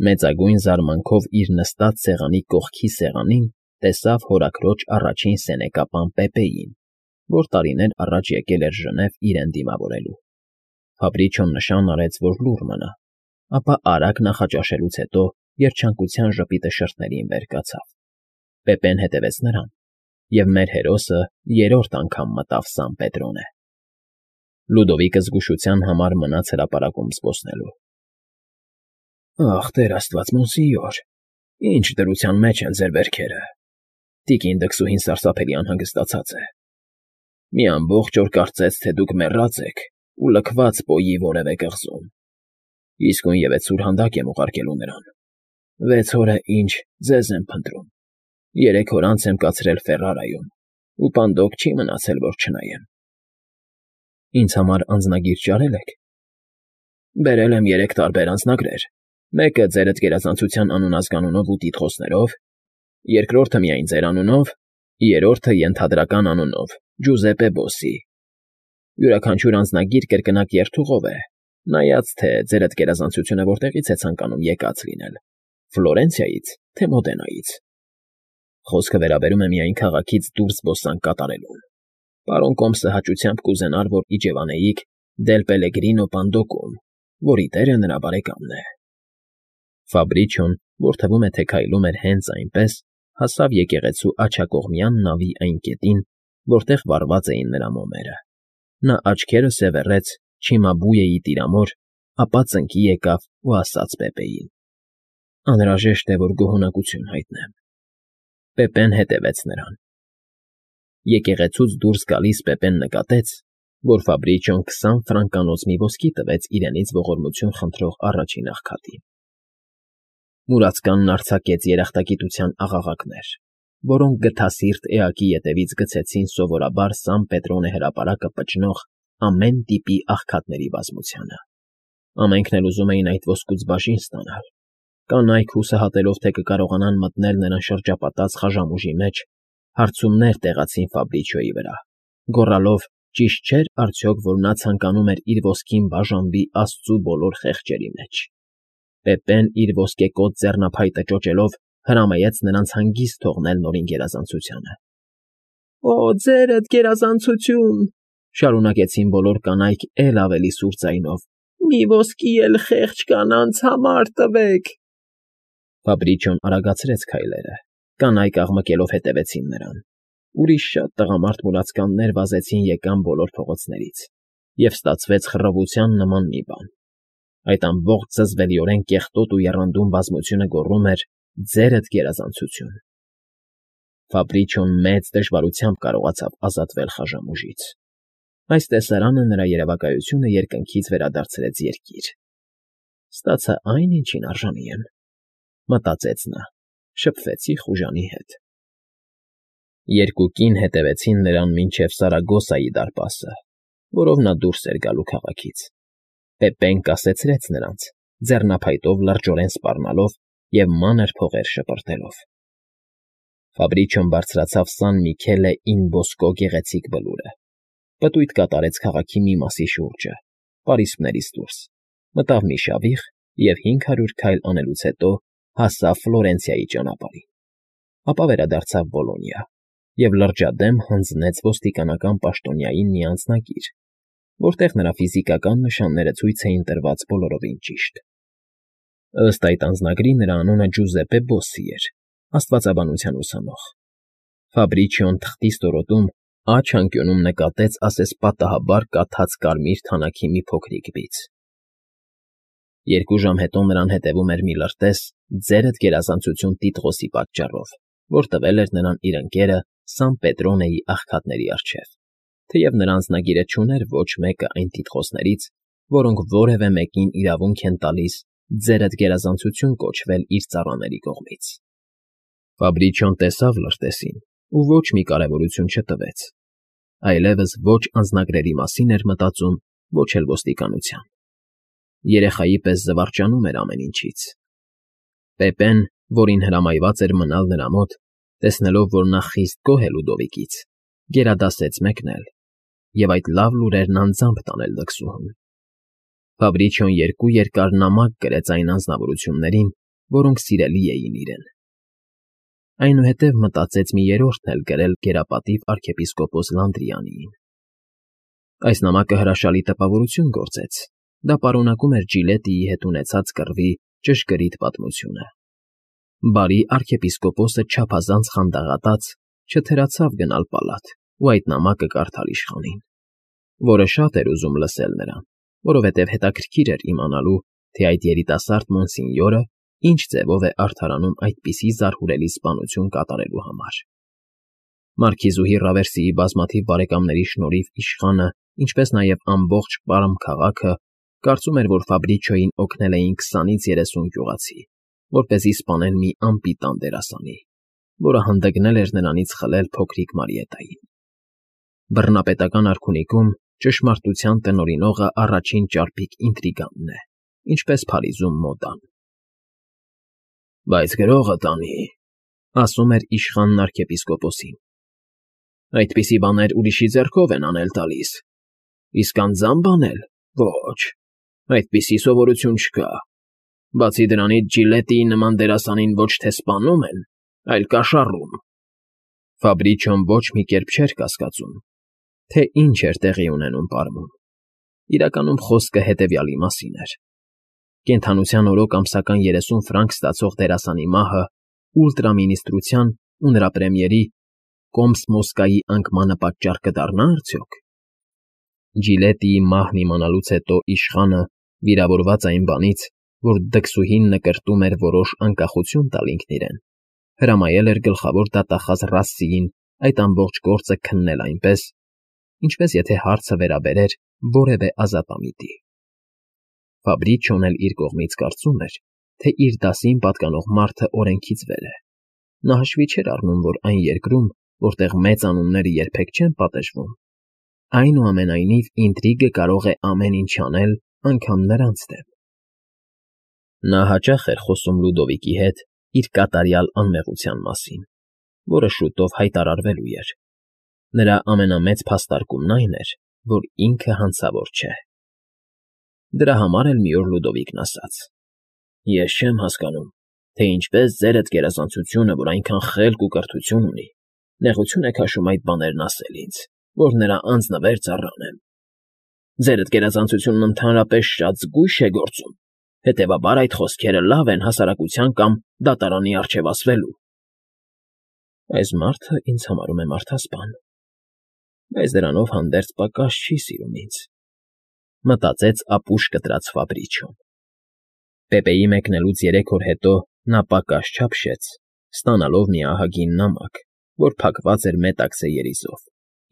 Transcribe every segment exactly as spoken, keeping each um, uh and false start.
Մեծագույն զարմանքով իր նստած սեղանի կողքի սեղանին տեսավ հորաքրոջ առաջին սենեկապան Պեպեին, որ տարիներ առաջ եկել էր Ժնև իրեն դիմավորելու։ Ֆաբրիչոն նշան արեց, որ լուռ մնա, ապա արագ նախաճաշելուց հետո երջանկության ժպիտը շրթներին վեր կացավ։ Պեպեն հետևեց նրան, և մեր հերոսը երրորդ անգամ մտավ Սան Պետրոնե։ Լյուդովիկը զգուշության համար մնաց հրապարակում զբոսնելու։ Ախ, Տեր աստված, մոնսինյոր, ինչ դրության մեջ են ձեր վերքերը, տիկին դքսուհին սարսափելի անհանգստացած է, մի ամբողջ օր կարծեց, թե դուք մեռած եք ու լքված պոյի որևէ կղզում, իսկույնևեթ սուրհանդակ եմ ուղարկելու նրան, վեց օր է ինչ ձեզ եմ փնտրում, երեք օր անց եմ կացրել Ֆերրարայում, ու պանդոկ չի մնացել, որ չնայեմ։ Ինձ համար անձնագիր ճարել եք։ Բերել եմ երեք տարբեր անձնագրեր, մեկը ձերդ գերազանցության անուն-ազգանունով ու տիտղոսներով, երկրորդը միայն ձեր անունով, երրորդը ենթադրական անունով՝ Ջուզեպպե Բոսսի։ Յուրաքանչյուր անձնագիր կրկնակ երթուղով է, նայած թե ձերդ գերազանցությունը որտեղից է ցանկանում եկած լինել՝ Ֆլորենցիայից, թե Մոդենայից։ Խոսքը վերաբերում է միայն քաղաքից դուրս զբոսանք կատարելուն։ Պարոն Կոմսը հաճությամբ կուզենար, որ իջևանեիք Դել Պելեգրինո Պանդոկում, որի տերը նրա բարեկամն է։ Ֆաբրիչոն, որ թվում է, թե քայլում էր հենց այնպես, հասավ եկեղեցու աջակողմյան նավի այն կետին, որտեղ վառված էին նրա մոմերը։ Նա աչքերը սևեռեց Չիմաբույեի տիրամոր, ապա ծնկի եկավ ու ասաց Պեպեին. Անհրաժեշտ է, որ գոհունակություն հայտնեմ։ Պեպեն հետևեց նրան։ Եկեղեցուց դուրս գալիս Պեպեն նկատեց, որ Ֆաբրիչոն քսան ֆրանկանոց մի ոսկի տվեց իրենից ողորմություն խնդրող առաջին աղքատին։ Մուրացկանն արձակեց երախտագիտության աղաղակներ, որոնք գթասիրտ էակի ետևից գցեցին սովորաբար Սան Պետրոնե հրապարակը պճնող ամեն տիպի աղքատների բազմությանը։ Ամենքն էլ ուզում էին այդ ոսկուց բաժին ստանալ։ Կանայք հուսահատելով, թե կկարողանան մտնել նրան շրջապատած խաժամուժի մեջ, հարցումներ տեղացին Ֆաբրիչոյի վրա, գոռալով. ճիշտ չէր արդյոք, որ նա ցանկանում էր իր ոսկին բաժանվի աստծու բոլոր խեղճերի մեջ։ Պեպեն իր ոսկեկոծ ձեռնափայտը ճոճելով հրամայեց նրանց հանգիստ թողնել նորին գերազանցությանը։ Օ, ձերդ գերազանցություն,֊ շարունակեցին բոլոր կանայք էլ ավելի սուր ձայնով,֊ մի ոսկի էլ խեղճ կանանց համար տվեք։ Ֆաբրիչոն արագացրեց քայլերը, կանայք աղմկելով հետևեցին նրան։ Ուրիշ շատ տղամարդ մուրացկաններ վազեցին եկան բոլոր փողոցներից, և ստացվեց խռովության նման մի բան։ Այդ ամբողջ զզվելիորեն կեղտոտ ու եռանդուն բազմությունը գոռում էր. «Ձերդ գերազանցություն»։ Ֆաբրիչոն մեծ դժվարությամբ կարողացավ ազատվել խաժամուժից։ Այս տեսարանը նրա երևակայությունը երկնքից վերադարձրեց երկիր։ Ստացա այն, ինչին արժանի եմ, մտածեց նա, շփվեցի խուժանի հետ։ Երկու կին հետևեցին նրան մինչև Սարագոսայի դարպասը, որով նա դուրս էր գալու քաղաքից։ Պեպեն կասեցրեց նրանց, ձեռնափայտով լրջորեն սպառնալով և մանր փողեր շպրտելով։ Ֆաբրիչոն բարձրացավ Սան Միքելե ին Բոսկո գեղեցիկ բլուրը, պտույտ կատարեց քաղաքի մի մասի շուրջը, պարիսպներից դուրս, մտավ մի շավիղ և հինգ հարյուր քայլ անելուց հետո հասավ Ֆլորենցիայի ճանապարհին, ապա վերադարձավ Բոլոնիա և լրջադեմ հանձնեց ոստիկանական պաշտոնյային մի անձնագիր, որտեղ նրա ֆիզիկական նշանները ցույց էին տրված բոլորովին ճիշտ։ Ըստ այդ անձնագրի նրա անունը Ջուզեպպե Բոսսի էր, աստվածաբանության ուսանող։ Ֆաբրիչոն թղթի ստորոտում աջ անկյունում նկատեց ասեսպատահաբար կաթած կարմիր թանաքի մի փոքրիկ բիծ։ Երկու ժամ հետո նրան հետևում էր մի լրտես «Ձերդ գերազանցություն» տիտղոսի պատճառով, որ տվել էր նրան իր ընկերը Սան Պետրոնեի աղքատների առջև, թեև նրա անձնագիրը չուներ ոչ մեկը այն տիտղոսներից, որոնք որևէ մեկին իրավունք են տալիս «Ձերդ գերազանցություն» կոչվել իր ծառաների կողմից։ Ֆաբրիչոն տեսավ լրտեսին ու ոչ մի կարևորություն չտվեց, այլևս ոչ անձնագրերի մասին էր մտածում, ոչ էլ ոստիկանության։ Երեխայի պես զվարճանում էր ամեն ինչից։ Պեպեն, որին հրամայված էր մնալ նրա մոտ, տեսնելով, որ նա խիստ գոհ է Լյուդովիկից, գերադասեց մեկնել և այդ լավ լուրերն անձամբ տանել դքսուհուն։ Ֆաբրիչոն երկու երկար նամակ գրեց այն անձնավորություններին, որոնք սիրելի էին իրեն։ Այնուհետև մտածեց մի երրորդն էլ գրել գերապատիվ arczepiskopos Լանդրիանիին։ Այս նամակը հրաշալի տպավորություն գործեց. դա պարունակում էր Ջիլետիի հետ ունեցած կռվի ճշգրիտ պատմությունը։ Բարի arczepiskopos-ը չափազանց խանդաղատած չթերացավ գնալ պալատ ու այդ նամակը կարդալ իշխանին, որը շատ էր ուզում լսել նրան, որովհետև հետաքրքիր էր իմանալու, թե այդ երիտասարդ մոնսինյորը ինչ ձևով է արդարանում այդպիսի զարհուրելի սպանություն կատարելու համար։ Մարքիզուհի Ռավերսիի բազմաթիվ բարեկամների շնորհիվ իշխանը, ինչպես նաև ամբողջ Պարմ քաղաքը կարծում էր, որ Ֆաբրիչոյին օգնել էին քսանից երեսուն գյուղացի, որպեսզի սպանեն մի անպիտան դերասանի, որը հանդգնել էր նրանից խլել փոքրիկ Մարիետային։ Բռնապետական արքունիքում ճշմարտության տնօրինողը առաջին ճարպիկ ինտրիգանն է, ինչպես Փարիզում մոդան։ Բայց գրողը տանի, ասում էր իշխանն arczepiskopos-ին։ Այդպիսի բաներ ուրիշի ձեռքով են անել տալիս, իսկ անձամբ անել՝ ոչ, այդպիսի սովորություն չկա։ Բացի դրանից Ջիլետիի նման դերասանին ոչ թե սպանում են, այլ կաշառում։ Ֆաբրիչոն ոչ մի կերպ չէր կասկածում, թե ինչ էր տեղի ունենում Պարմում։ Իրականում խոսքը հետևյալի մասին էր. կենդանության օրոք ամսական երեսուն ֆրանկ ստացող դերասանի մահը ուլտրամինիստրության ու նրա պրեմիերի Կոմս֊Մոսկայի անկմանը պատճառ կդառնա՞ արդյոք։ Ջիլետիի մահն իմանալուց հետո իշխանը, վիրավորված այն բանից, որ դքսուհին նկրտում էր որոշ անկախություն տալ ինքն իրեն, հրամայել էր գլխավոր դատախազ Ռասսիին այդ ամբողջ գործը քննել այնպես, ինչպես եթե հարցը վերաբերեր որևէ ազատամիտի։ Ֆաբրիչոն էլ իր կողմից կարծում էր, թե իր դասին պատկանող մարդը օրենքից վեր է։ Նա հաշվի չէր առնում, որ այն երկրում, որտեղ մեծ անունները երբեք չեն պատժվում, այնուամենայնիվ ինտրիգը կարող է ամեն ինչ անել անգամ նրանց դեմ։ Նա հաճախ էր խոսում Լյուդովիկի հետ իր կատարյալ անմեղության մասին, որը շուտով հայտարարվելու էր։ Նրա ամենամեծ փաստարկումն այն էր, որ ինքը հանցավոր չէ։ Դրա համար էլ մի օր Լյուդովիկն ասաց. Ես չեմ հասկանում, թե ինչպես ձերդ գերազանցությունը, որ այնքան խելք ու կրթություն ունի, նեղություն է քաշում այդ բաներն ասել ինձ, որ նրա անձնվեր ծառայեմ։ Ձերդ գերազանցությունն ընդհանրապես շատ զգույշ է գործում, հետևաբար այդ խոսքերը լավ են հասարակության կամ դատարանի առջև ասվելու։ Այս մարդը ինձ համարում է մարդասպան, բայց դրանով հանդերձ պակաս չի սիրում ինձ, մտածեց ապուշ կտրած Ֆաբրիչոն։ Պեպեի մեկնելուց երեք օր հետո նա պակաս չափշեց, ստանալով մի ահագին նամակ, որ փակված էր մետաքսե երիզով,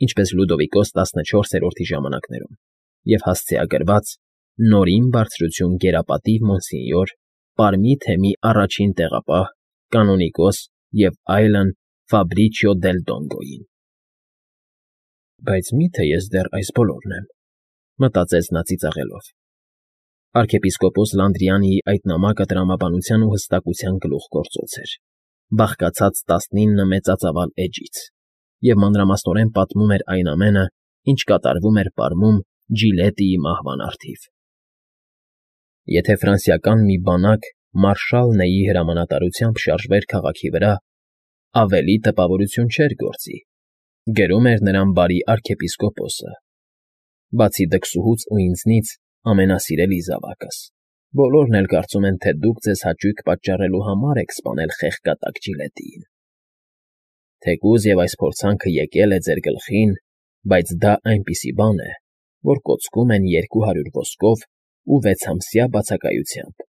ինչպես Լյուդովիկոս տասնչորսերորդի ժամանակներում, և հասցեագրված նորին բարձրություն գերապատիվ մոնսինյոր, Պարմի թեմի առաջին տեղապահ, կանոնիկոս և այլն Ֆաբրիչիո դել Դոնգոյին։ Բայց մի՞թե ես դեռ այս բոլորն եմ, մտածեց նա ծիծաղելով։ Arczepiskopos Լանդրիանիի այդ նամակը տրամաբանության ու հստակության գլուխգործոց էր, բաղկացած տասնինը մեծածավալ էջից, և մանրամասնորեն պատմում էր այն ամենը, ինչ կատարվում էր Պարմում Ջիլետիի մահվան առթիվ։ Եթե ֆրանսիական մի բանակ մարշալ Նեյի հրամանատարությամբ շարժվեր քաղաքի վրա, ավելի տպավորություն չէր գործի, գրում էր նրան բարի arczepiskopos-ը։ Բացի դքսուհուց ու ինձնից ամենասիրելի զավակս, բոլորն էլ կարծում են, թե դուք ձեզ հաճույք պատճառելու համար եք սպանել խեղկատակ Ջիլետիին։ Թեկուզ և այս փորձանքը եկել է ձեր գլխին, բայց դա այնպիսի բան է, որ կոծկում են երկու հարյուր ոսկով ու վեցամսյա բացակայությամբ,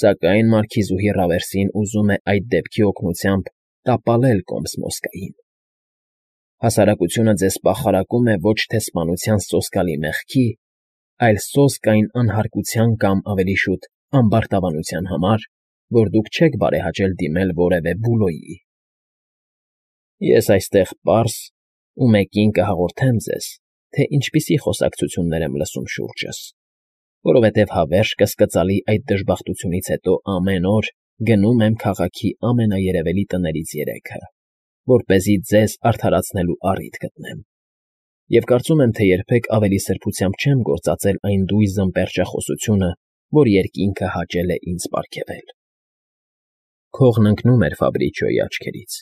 սակայն մարքիզուհի Ռավերսին ուզում է այդ դեպքի օգնությամբ տապալել Կոմս֊Մոսկային։ Հասարակությունը ձեզ պախարակում է ոչ թե սպանության սոսկալի մեղքի, այլ սոսկ այն անհարկության կամ ավելի շուտ ամբարտավանության համար, որ դուք չեք բարեհաճել դիմել որևէ Բուլոյի։ Ես այստեղ պարզ ու մեկին կհաղորդեմ ձեզ, թե ինչպիսի խոսակցություններ եմ լսում շուրջս, որովհետև հավերժ կասկածալի այդ դժբախտությունից հետո ամեն օր գնում եմ քաղաքի ամենաերևելի տներից երեքը, որպեսզի ձեզ արդարացնելու առիթ գտնեմ, և կարծում եմ, թե երբեք ավելի սրբությամբ չեմ գործածել այն դույզն պերճախոսությունը, որ երկինքը հաճել է ինձ պարգևել։ Քողն ընկնում էր Ֆաբրիչիոյի աչքերից։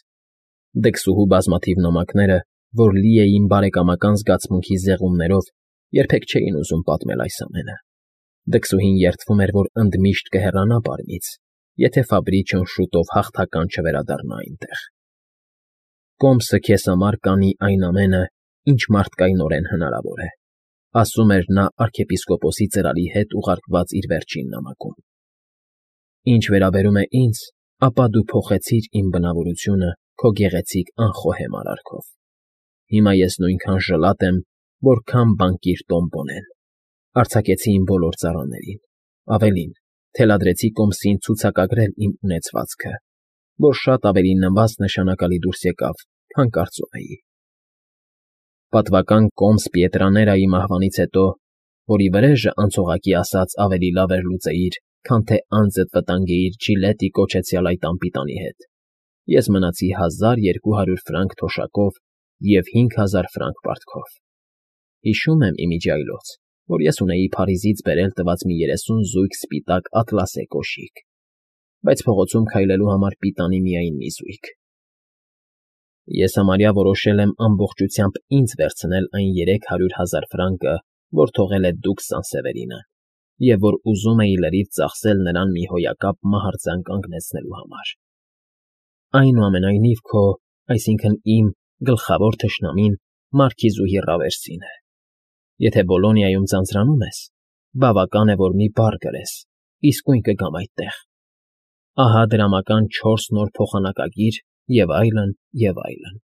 Դքսուհու բազմաթիվ նամակները, որ լի էին բարեկամական զգացմունքի զեղումներով, երբեք չէին ուզում պատմել այս ամենը։ Դքսուհին երդվում էր, որ ընդմիշտ կհեռանա պարմից, եթե Ֆաբրիչիոն շուտով հաղթական չվերադառնա այնտեղ։ Կոմսը քեզ համար կանի այն ամենը, ինչ մարդկայնորեն հնարավոր է, ասում էր նա արքեպիսկոպոսի ծրարի հետ ուղարկված իր վերջին նամակում։ Ինչ վերաբերում է ինձ, ապա դու փոխեցիր իմ բնավորությունը քո գեղեցիկ անխոհեմ արարքով։ Հիմա ես նույնքան ժլատ եմ, որքան բանկիր Տոմպոնեն, արձակեցի իմ բոլոր ծառաներին, ավելին, թելադրեցի Կոմսին ցուցակագրել իմ ունեցվածքը, որ շատ ավելի նվազ նշանակալի դուրս եկավ, քան կարծում էի։ Պատվական կոմս Պիետրաներայի մահվանից հետո, որի վրեժը անցողակի ասած ավելի լավ էր լուծեիր, քան թե անձդ վտանգեիր Ջիլետի կոչեցյալ այդ անպիտանի հետ, ես մնացի հազար երկու հարյուր ֆրանկ թոշակով և հինգ հազար ֆրանկ պարտքով։ Հիշում եմ ի միջի այլոց, որ ես ունեի Փարիզից բերել տված մի երեսուն զույգ սպիտակ ատլասե կոշիկ, բայց փողոցում քայլելու համար պիտանի միայն մի զույգ։ Ես համարյա որոշել եմ ամբողջությամբ ինձ վերցնել այն երեք հարյուր հազար ֆրանկը, որ թողել է դուք Սան֊Սևերինը, և որ ուզում էի լրիվ ծախսել նրան մի հոյակապ մահարձան կանգնեցնելու համար։ Այնուամենայնիվ քո, այսինքն իմ, գլխավոր թշնամին մարքիզուհի Ռավերսին է։ Եթե Բոլոնիայում ձանձրանում ես, բավական է, որ մի բառ գրես, իսկույն կգամ այդտեղ։ Ահա դրամական չորս նոր փոխանակագիր և այլն, և այլն։